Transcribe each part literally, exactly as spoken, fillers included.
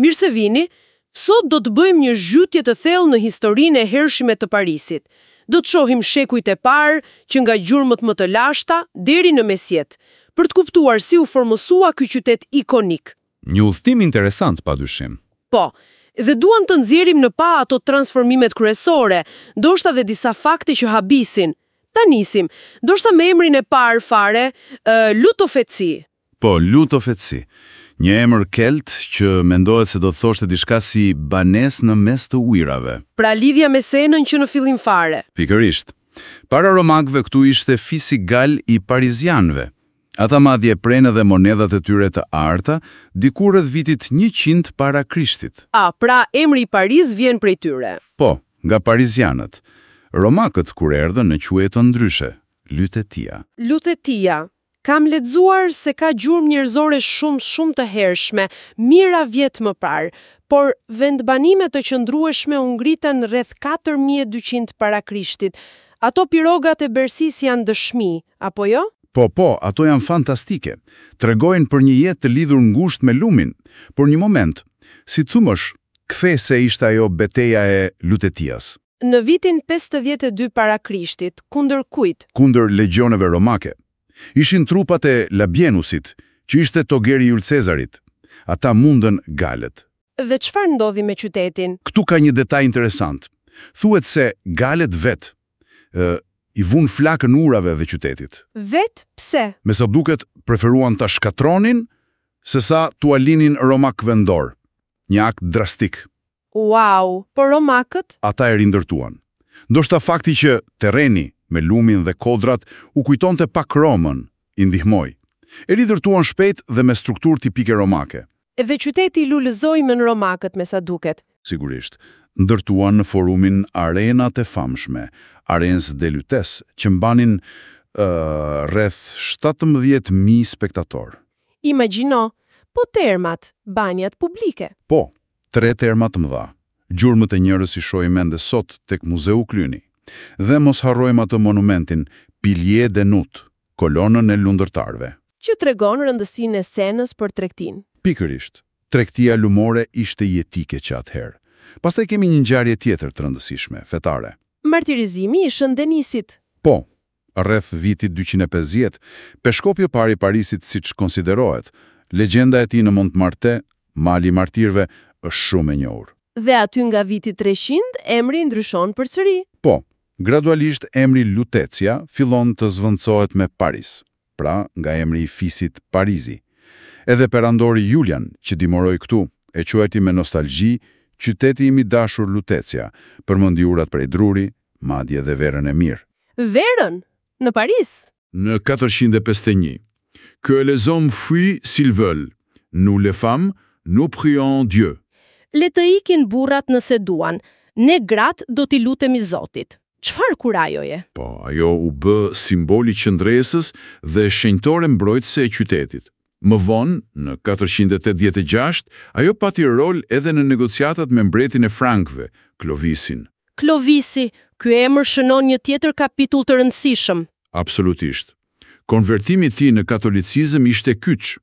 Mirë se vini. Sot do të bëjmë një zhytje të thellë në historinë e hershme të Parisit. Do të shohim shekujt e parë, që nga gjurmët më të lashta deri në mesjetë, për të kuptuar si u formësua ky qytet ikonik. Një udhëtim interesant, pa dyshim. Po, dhe duam të nxjerrim në pah ato transformimet kryesore, ndoshta dhe disa fakte që habisin. Ta nisim, ndoshta me emrin e parë fare, uh, Lutofeci. Po, Lutofeci. Një emër kelt që mendohet se do të thoshte diçka si banesë në mes të ujrave. Pra lidhja me Senën që në fillim fare. Pikërisht. Para romakëve këtu ishte fisi gal i parizianëve. Ata madje prenë edhe monedhat e tyre të arta, diku rreth vitit njëqind para Krishtit. A, pra emri i Paris vjen prej tyre. Po, nga parizianët. Romakët kur erdhën e quajtën ndryshe, Lutetia. Lutetia. Kam lexuar se ka gjurmë njerëzore shumë shumë të hershme, mijëra vjet më parë, por vendbanime të qëndrueshme u ngritën rreth katër mijë e dyqind para Krishtit. Ato pirogat e Bersisë janë dëshmi, apo jo? Po, po, ato janë fantastike. Tregojnë për një jetë të lidhur ngushtë me lumin. Por një moment, si thumësh, kthese ishte ajo beteja e Lutetias. Në vitin pesëdhjetë e dy para Krishtit, kundër kujt? Kundër legjioneve romake. Ishin trupat e Labienusit, që ishte togeri Jul Cezarit. Ata mundën galët. Dhe çfarë ndodhi me qytetin? Këtu ka një detaj interesant. Thuhet se galët vetë ë, i vunë flakën urave dhe qytetit. Vet, pse? Me sa duket, preferuan ta shkatronin, se sa t'ua linin romakëve në dorë. Një akt drastik. Wow, por romakët? Ata e rindërtuan. Ndoshta fakti që terreni me lumin dhe kodrat u kujtonte pak Romën, i ndihmoi. E rindërtuan shpejt dhe me strukturë tipike romake. Edhe qyteti lulëzoi me romakët, me sa duket. Sigurisht, ndërtuan në forumin arenat e famshme, Arènes de Lutèce, që mbanin uh, rreth shtatëmbëdhjetë mijë spektator. Imagjino, po termat, banjat publike. Po, tre terma të mëdha. Gjurmët e njërës i shohim ende sot tek Muzeu Cluny. Dhe mos harrojmë atë monumentin Pilier de Nut, kolonën e lundërtarëve. Që tregon rëndësinë e Senës për tregtinë. Pikërisht, tregtia lumore ishte jetike që atëherë. Pastaj kemi një ngjarje tjetër të rëndësishme, fetare. Martirizimi i Shën Denisit. Po, rreth vitit dyqind e pesëdhjetë, peshkopi i parë i Parisit, siç konsiderohet, legjenda e tij në Montmartre, Mali i Martirëve, është shumë e njohur. Dhe aty nga viti treqind, emri ndryshon përsëri. Po, gradualisht emri Lutetia fillon të zvendësohet me Paris, pra nga emri i fisit Parizi. Edhe perandori Julian, që dimëroi këtu, e quajti me nostalgji "qyteti im i dashur Lutetia", përmendi urat prej druri, madje dhe verën e mirë. Verën, në Paris. Në katërqind e pesëdhjetë e një. Que les hommes fuient s'ils veulent. Nous les femmes, nous prions Dieu. Le të ikin burrat nëse duan, ne gratë do t'i lutemi Zotit. Çfarë kurajoje? Po, ajo u bë simboli qëndresës dhe shenjtore mbrojtëse e qytetit. Më vonë, në katërqind e tetëdhjetë e gjashtë, ajo pati rol edhe në negociatat me mbretin e Frankëve, Klovisin. Klovisi, ky emër shënon një tjetër kapitull të rëndësishëm. Absolutisht. Konvertimi i tij në katolicizëm ishte kyç.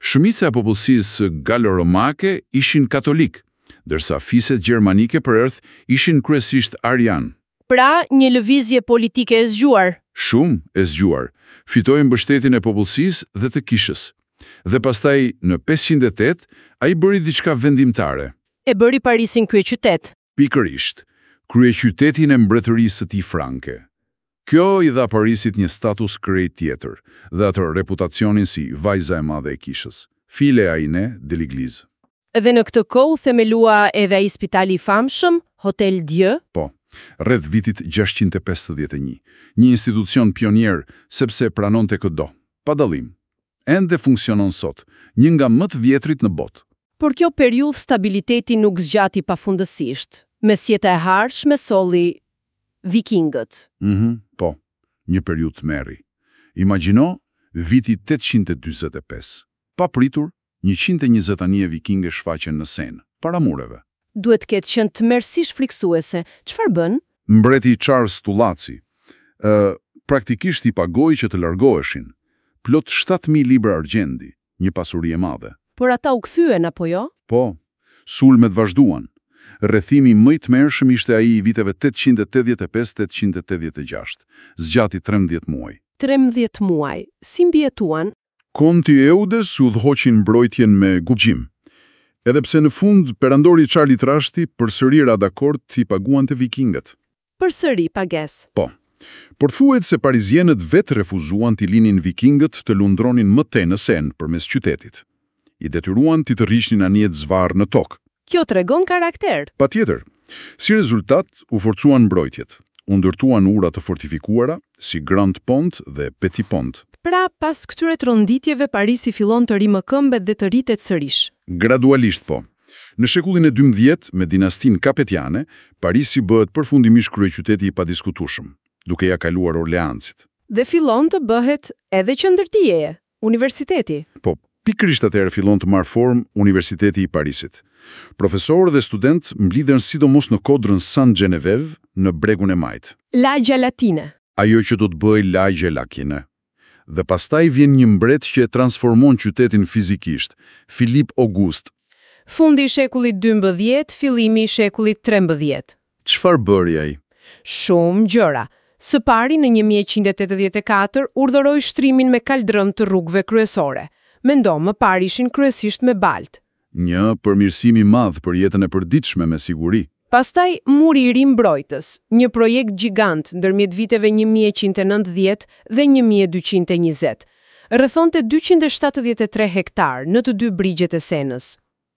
Shumica e popullsisë galo-romake ishin katolik, ndërsa fiset gjermanike përreth ishin kryesisht arian. Pra, një lëvizje politike e zgjuar. Shumë e zgjuar. Fitoi mbështetjen e popullsisë dhe të kishës. Dhe pastaj, në pesëqind e tetë, ai bëri diçka vendimtare. E bëri Parisin kryeqytet. Pikërisht, kryeqytetin e mbretërisë së tij franke. Kjo i dha Parisit një status krejt tjetër dhe atë reputacionin si vajza e madhe e kishës, fille aînée de l'Église. Dhe në këtë kohë themelua edhe ai spitali i famshëm, Hotel Dieu. Po, rreth vitit gjashtëqind e pesëdhjetë e një. Një institucion pionier, sepse pranonte këdo, pa dallim. Ende funksionon sot, një nga më të vjetrit në botë. Por kjo periudhë stabiliteti nuk zgjati pafundësisht. Mesjeta e hershme solli vikingët. Mhm, po, një periudhë tmerri. Imagjino viti tetëqind e dyzet e pesë. Pa pritur, njëqind e njëzet anije vikinge shfaqen në Senë, para mureve. Duhet ketë qenë tmerrësisht friksuese. Çfarë bën? Mbreti Charles Tullaci, ë, praktikisht i pagoi që të largoheshin, plot shtatë mijë libra argjendi, një pasuri e madhe. Por ata u kthyen, apo jo? Po, Sulmet vazhduan. Rrethimi më i tmerrshëm ishte ai i viteve tetëqind e tetëdhjetë e pesë tetëqind e tetëdhjetë e gjashtë, zgjati trembëdhjetë muaj. trembëdhjetë muaj, si mbijetuan? Konti Eudes udhëhoqi mbrojtjen me guxim. Edhe pse në fund perandori Charlie Trashti përsëri ra dakord t'i paguante vikingët. Përsëri pagesë. Po. Por thuhet se parizienët vetë refuzuan t'i linin vikingët të lundronin më tej në Senë përmes qytetit. I detyruan t'i tërhiqnin anijet zvarrë në tokë. Kjo tregon karakter. Patjetër. Si rezultat, u forcuan mbrojtjet. U ndërtuan ura të fortifikuara, si Grand Pont dhe Petit Pont. Pra, pas këtyre tronditjeve, Parisi fillon të rimëkëmbet dhe të rritet sërish. Gradualisht po. Në shekullin e dymbëdhjetë, me dinastinë Kapetiane, Parisi bëhet përfundimisht kryeqyteti i padiskutueshëm, duke ja kaluar Orleansit. Dhe fillon të bëhet edhe qendër dijeje, universiteti. Po, pikërisht atëherë fillon të marrë formë Universiteti i Parisit. Profesorë dhe studentë mblidhen sidomos në kodrën Sainte-Geneviève në bregun e majtë. Lagja Latine. Ajo që do të bëhej lagja Latine. Dhe pastaj vjen një mbret që e transformon qytetin fizikisht, Filip August. Fundi i shekullit dymbëdhjetë, fillimi i shekullit trembëdhjetë. Çfarë bëri ai? Shumë gjëra. Së pari në një mijë e qind e tetëdhjetë e katër urdhëroi shtrimin me kaldrëm të rrugëve kryesore. Mendo, më parë ishin kryesisht me balt. Një përmirësim i madh për jetën e përditshme me siguri. Pastaj muri i ri mbrojtës, një projekt gjigant ndërmjet viteve një mijë e qind e nëntëdhjetë dhe një mijë e dyqind e njëzet. Rrethonte dyqind e shtatëdhjetë e tre hektar në të dy brigjet e Senës.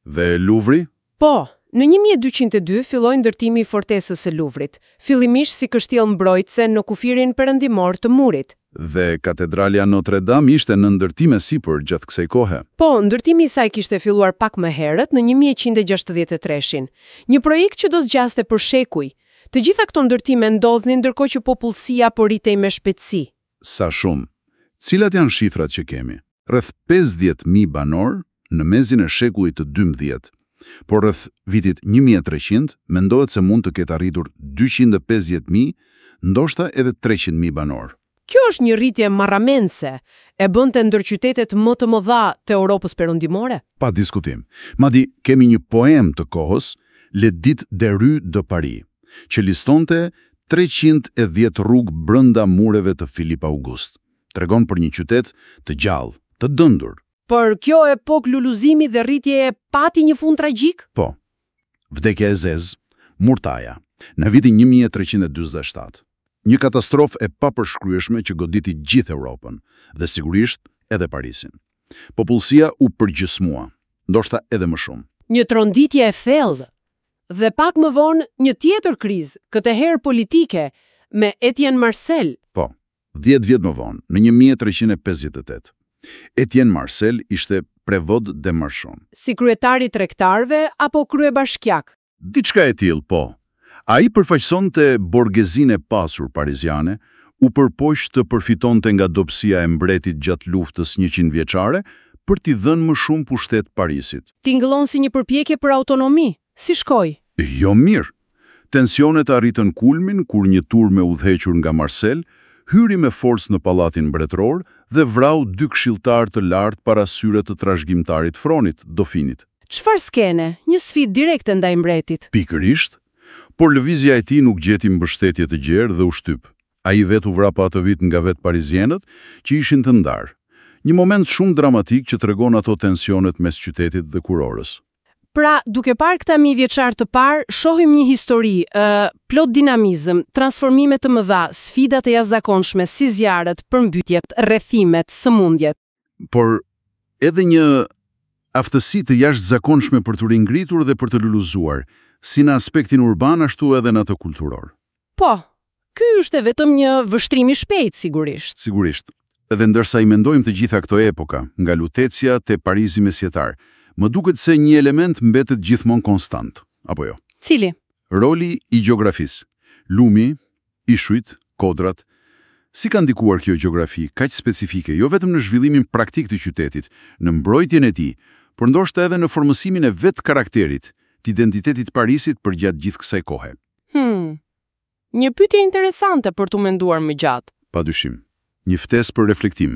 Dhe Louvri? Po, në një mijë e dyqind e dy filloi ndërtimi i fortesës së Louvrit, fillimisht si kështjellë mbrojtëse në kufirin perëndimor të murit. Dhe katedralja Notre Dame ishte në ndërtim e sipër gjatë kësaj kohe. Po, ndërtimi i saj kishte filluar pak më herët në një mijë e qind e gjashtëdhjetë e treshin. Një projekt që do zgjaste për shekuj. Të gjitha këto ndërtime ndodhnin ndërkohë që popullsia po rritej me shpejtësi. Sa shumë. Cilat janë shifrat që kemi? Rreth pesëdhjetë mijë banor në mesin e shekullit të dymbëdhjetë. Por rreth vitit një mijë e treqind mendohet se mund të ketë arritur dyqind e pesëdhjetë mijë, ndoshta edhe treqind mijë banor. Kjo është një rritje marramense, e bënte ndër qytetet më të mëdha të Europës Perëndimore. Pa diskutim. Madje kemi një poem të kohës, L'Édit des rues de Paris, që listonte treqind e dhjetë rrugë brenda mureve të Filip August. Tregon për një qytet të gjallë, të dëndur. Por kjo epokë lulëzimi dhe rritjeje pati një fund tragjik? Po. Vdekja e zezë, Murtaja, në vitin një mijë e treqind e dyzet e shtatë. Një katastrofë e papërshkrueshme që goditi gjithë Europën dhe sigurisht edhe Parisin. Popullsia u përgjysmua, ndoshta edhe më shumë. Një tronditje e thellë. Dhe pak më vonë një tjetër krizë, këtë herë politike, me Etienne Marcel. Po, dhjetë vjet më vonë, në një mijë e treqind e pesëdhjetë e tetë. Etienne Marcel ishte prevot de Marchon. Si kryetari i tregtarëve apo kryebashkiak? Diçka e tillë, po. Ai përfaqësonte borgjezinë e pasur pariziane, u përpoq të përfitonte nga dobësia e mbretit gjatë luftës njëqind vjeçare për t'i dhënë më shumë pushtet Parisit. Tingëllon si një përpjekje për autonomi. Si shkoi? Jo mirë. Tensionet arritën kulmin kur një turmë e udhëhequr nga Marcel hyri me forcë në pallatin mbretëror dhe vrau dy këshilltar të lartë para syre të trashëgimtarit fronit, Dofinit. Çfarë skene? Një sfidë direkte ndaj mbretit. Pikërisht, por lëvizja e tij nuk gjeti mbështetje të gjerë dhe u shtyp. Ai vetë u vra po atë vit nga vetë parizienët, që ishin të ndarë. Një moment shumë dramatik që tregon ato tensionet mes qytetit dhe kurorës. Pra, duke parë këta mijë vjeçar të parë, shohim një histori, ë, plot dinamizëm, transformime të mëdha, sfida të jashtëzakonshme si zjarret, përmbytjet, rrethimet, sëmundjet. Por edhe një aftësi të jashtëzakonshme për të ringritur dhe për të luluzuar, si në aspektin urban ashtu edhe në atë kulturor. Po, ky është vetëm një vështrim i shpejtë sigurisht. Sigurisht. Dhe ndërsa i mendojmë të gjitha këto epoka, nga Lutecia te Parisi mesjetar, më duket se një element mbetet gjithmonë konstant, apo jo? Cili? Roli i gjeografisë. Lumi, ishujt, kodrat. Si ka ndikuar kjo gjeografi kaq specifike, jo vetëm në zhvillimin praktik të qytetit, në mbrojtjen e tij, por ndoshta edhe në formësimin e vetë karakterit, të identitetit Parisit përgjatë gjithë kësaj kohe. Hmm. Një pyetje interesante për t'u menduar më gjatë. Padyshim. Një ftesë për reflektim.